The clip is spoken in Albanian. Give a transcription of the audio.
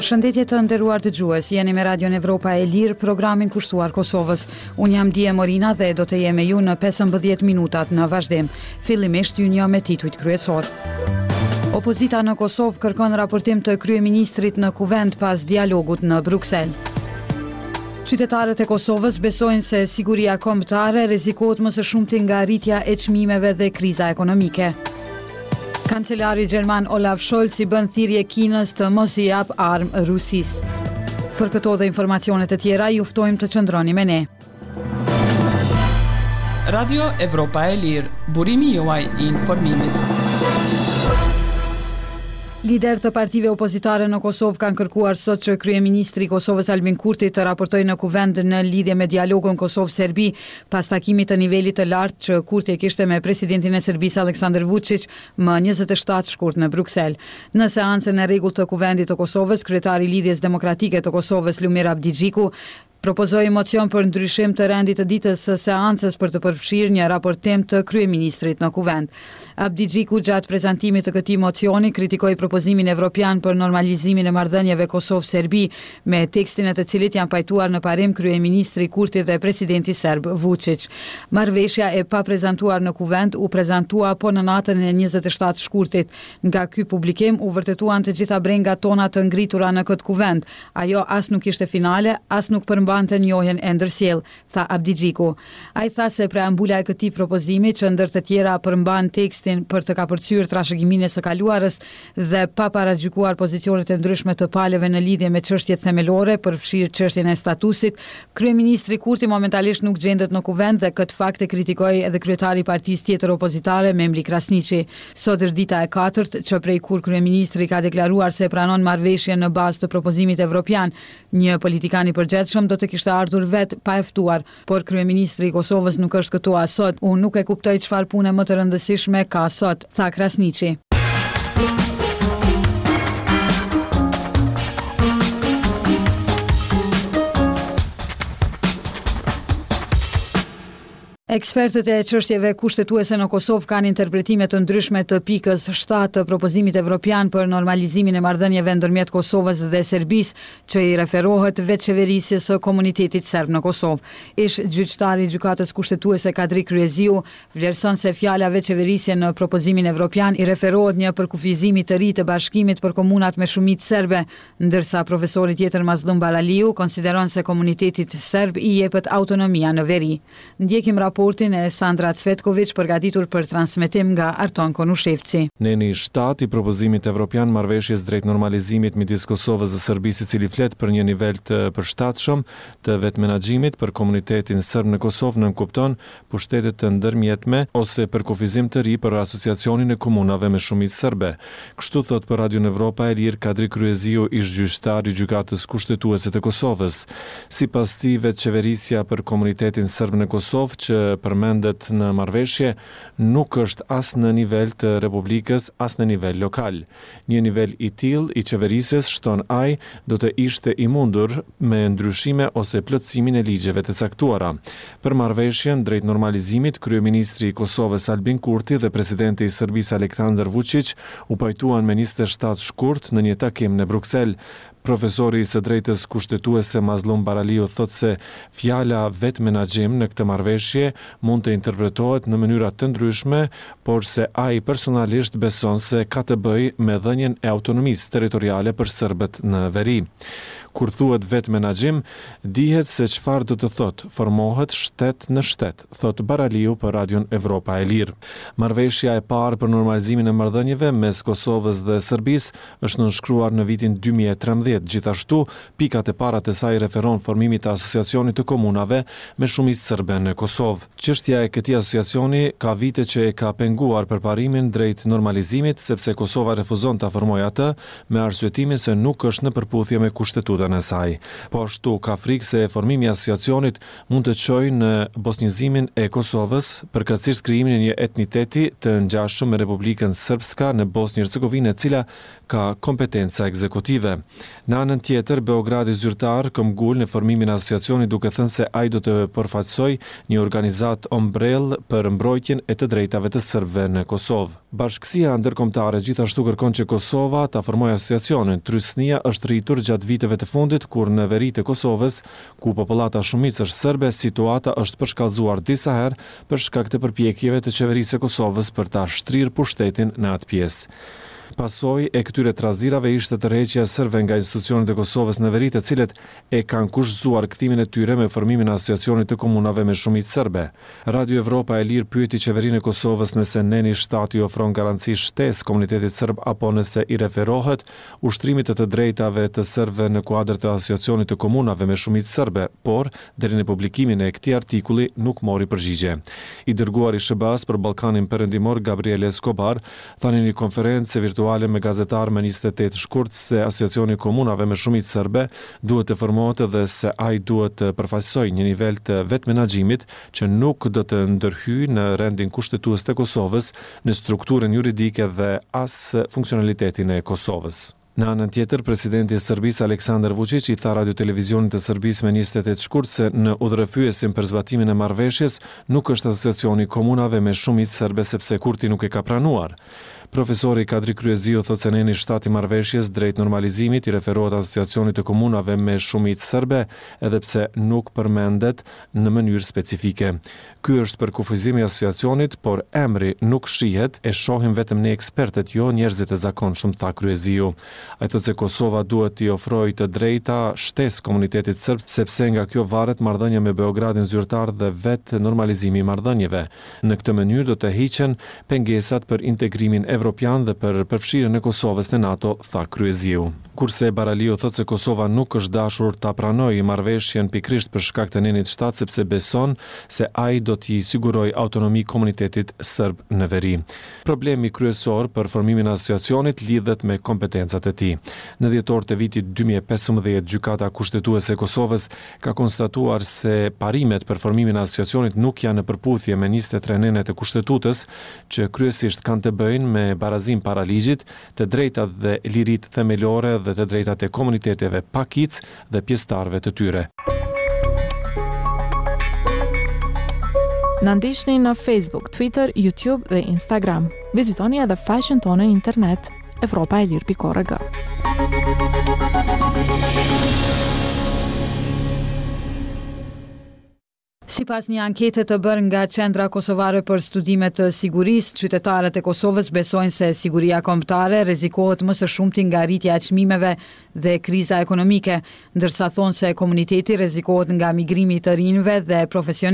Përshëndetje të nderuar dëgjues, jeni me Radion Evropa e Lirë, programin kushtuar Kosovës. Unë jam Die Morina dhe do të jem me ju në 15 minutat në vazhdim. Fillimisht ju njoh me titujt kryesorë. Opozita në Kosovë kërkon raportim të kryeministrit në Kuvend pas dialogut në Bruksel. Qytetarët e Kosovës besojnë se siguria kombëtare rrezikohet më së shumti nga rritja e çmimeve dhe kriza ekonomike. Kancelari gjerman Olaf Scholz i bën thirrje Kinës të mos i japë armë Rusisë. Për këto dhe informacione të tjera, ju ftojmë të qëndroni me ne. Radio Evropa e Lirë, burimi juaj i informimit. Liderë të partive opozitare në Kosovë kanë kërkuar sot që kryeministri i Kosovës Albin Kurti të raportojë në Kuvend në lidhje me dialogun Kosovë-Serbi Pas takimit të nivelit të lartë që Kurti e kishte me presidentin e Serbisë Aleksandër Vuçiq më 27 shkurt në Bruksel. Në seancën e rregullt të Kuvendit të Kosovës, kryetari i Lidhjes Demokratike të Kosovës, Lumir Abdixhiku, propozoi mocion për ndryshim të rendit të ditës së seancës për të përfshirë një raportim të kryeministrit në Kuvend. Abdixhiku gjatë prezantimit të këtij mocioni kritikoi propozimin evropian për normalizimin e marrëdhënieve Kosovë-Serbi, me tekstin e të cilit janë pajtuar në parim kryeministri Kurti dhe presidenti serb Vuçiq. Marrëveshja e paprezantuar në Kuvend u prezantua po në natën e 27 shkurtit. Nga ky publikim u vërtetuan të gjitha brengat tona të ngritura në këtë Kuvend. Ajo as nuk ishte finale, as nuk përmbante njohjen e ndërsjellë, tha Abdixhiku. Ai tha se preambula e këtij propozimi, që ndër të tjera përmban tekstin për të kapërcyer trashëgiminë e së kaluarës dhe pa paragjykuar pozicionet e ndryshme të palëve në lidhje me çështjet themelore, përfshirë çështjen e statusit, kryeministri Kurti momentalisht nuk gjendet në Kuvend dhe këtë fakt e kritikoi edhe kryetari i partisë tjetër opozitare, Memli Krasniqi. Sot është dita e katërt që prej kur kryeministri ka deklaruar se pranon marrëveshjen në bazë të propozimit evropian, Një politikan i përgjegjshëm do të kishte ardhur vetë, pa e ftuar, por kryeministri i Kosovës nuk është këtu as sot. Unë nuk e kuptoj çfarë pune më të rëndësishme ka sot, tha Krasniqi. Ekspertët e çështjeve kushtetuese në Kosovë kanë interpretime të ndryshme të pikës 7 të propozimit evropian për normalizimin e marrëdhënieve ndërmjet Kosovës dhe Serbisë, që i referohet vetëqeverisjes së komunitetit serb në Kosovë. Ish gjyqtari i Gjykatës Kushtetuese Kadri Kryeziu vlerëson se fjala vetëqeverisje në propozimin evropian i referohet një përkufizimi të ri të bashkimit për komunat me shumicë serbe, ndërsa profesori tjetër Mazllum Baraliu konsideron se komunitetit serb i jepet autonomia në veri. Ndjekim raportin e Sandra Cvetkoviq përgatitur për transmetim nga Arton Konushevci. Neni 7 i propozimit evropian marrëveshjes drejt normalizimit midis Kosovës dhe Serbisë i cili flet për një nivel të përshtatshëm të vetëmenaxhimit për komunitetin serb në Kosovë nënkupton pushtete të ndërmjetme ose përkufizim të ri për Asociacionin e Komunave me shumicë serbe. Kështu thotë për Radion Evropa e Lirë Kadri Kryeziu, ish-gjyqtar i Gjykatës Kushtetuese të Kosovës. Sipas tij, vetëqeverisja për komunitetin serb në Kosovë që përmendet në marrëveshje nuk është as në nivel të Republikës, as në nivel lokal. Një nivel i tillë i qeverisjes, shton ai, do të ishte i mundur me ndryshime ose plotësimin e ligjeve të caktuara. Për marrëveshjen drejt normalizimit, kryeministri i Kosovës Albin Kurti dhe presidenti i Serbisë Aleksandar Vuçiq u pajtuan me 27 shkurt në një takim në Bruksel. Profesori i së drejtës kushtetuese Mazllum Baraliu thotë se fjala vetëmenaxhim në këtë marrëveshje mund të interpretohet në mënyra të ndryshme, por se ai personalisht beson se ka të bëjë me dhënien e autonomisë territoriale për serbët në veri. Kur thuhet vetëmenaxhim, dihet se çfarë do të thotë, formohet shtet në shtet, thotë Baraliu për Radion Evropa e Lirë. Marrëveshja e parë për normalizimin e marrëdhënieve mes Kosovës dhe Serbisë është nënshkruar në vitin 2013. Gjithashtu, pikat e para të saj referon formimit të Asociacionit të Komunave me shumicë serbe në Kosovë. Çështja e këtij asociacioni ka vite që e ka penguar përparimin drejt normalizimit, sepse Kosova refuzon ta formojë atë, me arsyetimin se nuk është në përputhje me Kushtetutën. Kushtetutën e saj. Po ashtu, ka frikë se formimi i Asociacionit mund të çojë në bosnjëzimin e Kosovës, përkatësisht krijimin e një etniteti të ngjashëm me Republikën Srpska në Bosnjë-Hercegovinë e cila ka kompetenca ekzekutive. Në anën tjetër, Beogradi zyrtar këmbgul në formimin e Asociacionit duke thënë se ai do të përfaqësojë një organizatë ombrellë për mbrojtjen e të drejtave të sërbëve në Kosovë. Bashkësia ndërkombëtare gjithashtu kërkon që Kosova ta formojë Asociacionin. Trysnia është rritur gjatë viteve të fundit kur në veri të Kosovës, ku popullata shumicë është sërbe, situata është përshkallëzuar disa herë për shkak të përpjekjeve të Qeverisë së Kosovës për ta shtrirë pushtetin në atë pjesë. Pasojë e këtyre trazirave ishte tërheqja e sërbëve nga institucionet e Kosovës në veri të cilët e kanë kushtëzuar kthimin e tyre me formimin e Asociacionit të Komunave me shumicë sërbe. Radio Evropa e Lirë pyeti Qeverinë e Kosovës nëse neni shtatë i ofron garanci shtesë komunitetit sërb apo nëse i referohet ushtrimit të të drejtave të sërbëve në kuadër të Asociacionit të Komunave me shumicë sërbe, por deri në publikimin e këtij artikulli nuk mori përgjigje. I dërguari i SHBA-së për Ballkanin Perëndimor, Gabriel Escobar, tha në një konferencë virtuale me gazetarë më 28 shkurt se Asociacioni i Komunave me shumicë sërbe duhet të formohet dhe se ai duhet të përfaqësojë një nivel të vetëmenaxhimit që nuk do të ndërhyjë në rendin kushtetues të Kosovës, në strukturën juridike dhe as funksionalitetin e Kosovës. Në anën tjetër, presidenti i Serbisë, Aleksandar Vuçiq i tha Radiotelevizionit të Serbisë me 28 shkurt se në udhërrëfyesin për zbatimin e marrëveshjes nuk është Asociacioni i Komunave me shumicë serbe sepse Kurti nuk e ka pranuar. Profesori Kadri Kryeziu thotë se neni shtatë i marrëveshjes drejt normalizimit i referohet Asociacionit të Komunave me shumicë serbe, edhe pse nuk përmendet në mënyrë specifike. Ky është përkufizimi i Asociacionit, por emri nuk shihet, e shohim vetëm ne ekspertët, jo njerëzit e zakonshëm, tha Kryeziu. Ai thotë se Kosova duhet t'i ofrojë të drejta shtesë komunitetit sërb, sepse nga kjo varet marrëdhënia me Beogradin zyrtar dhe vetë normalizimi i marrëdhënieve. Në këtë mënyrë do të hiqen pengesat për integrimin evropian dhe për përfshirjen e Kosovës në NATO, tha Kryeziu. Kurse Baraliu thotë se Kosova nuk është dashur ta pranojë marrëveshjen pikërisht për shkak të nenit shtatë sepse beson se ai do t'i sigurojë autonomi komunitetit sërb në veri. Problemi kryesor për formimin e Asociacionit lidhet me kompetencat e tij. Në dhjetor të vitit 2015 Gjykata Kushtetuese e Kosovës ka konstatuar se parimet për formimin e Asociacionit nuk janë në përputhje me 23 nenet e Kushtetutës, që kryesisht kanë të bëjnë me barazinë para ligjit, të drejtat dhe liritë themelore dhe të drejtat e komuniteteve pakicë dhe pjesëtarëve të tyre. Na ndiqni në Facebook, Twitter, YouTube dhe Instagram. Vizitoni edhe faqen tonë në internet evropaelire.org. Sipas një ankete të bërë nga Qendra Kosovare për Studime të Sigurisë, qytetarët e Kosovës besojnë se siguria kombëtare rrezikohet më së shumti nga rritja e çmimeve dhe kriza ekonomike, ndërsa thonë se komuniteti rrezikohet nga migrimi i të rinjve dhe profesionistëve.